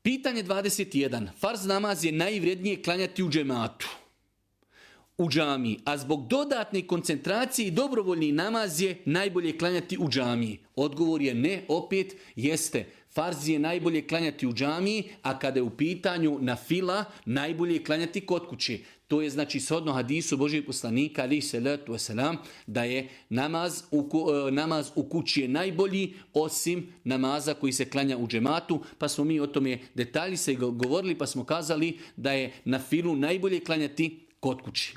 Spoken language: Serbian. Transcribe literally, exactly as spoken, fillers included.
Pitanje dvadeset jedan. Farz namaz je najvrednije klanjati u džematu, u džamiji, a zbog dodatne koncentracije i dobrovoljni namaz je najbolje klanjati u džamiji. Odgovor je ne, opet jeste. Farz je najbolje klanjati u džamiji, a kada je u pitanju na fila, najbolje je klanjati kod kuće. To je znači shodno hadisu Božijeg poslanika, alejhi selatu vesselam, da je namaz u, namaz u kući je najbolji osim namaza koji se klanja u džematu, pa smo mi o tome detalji se govorili, pa smo kazali da je na filu najbolje klanjati kod kući.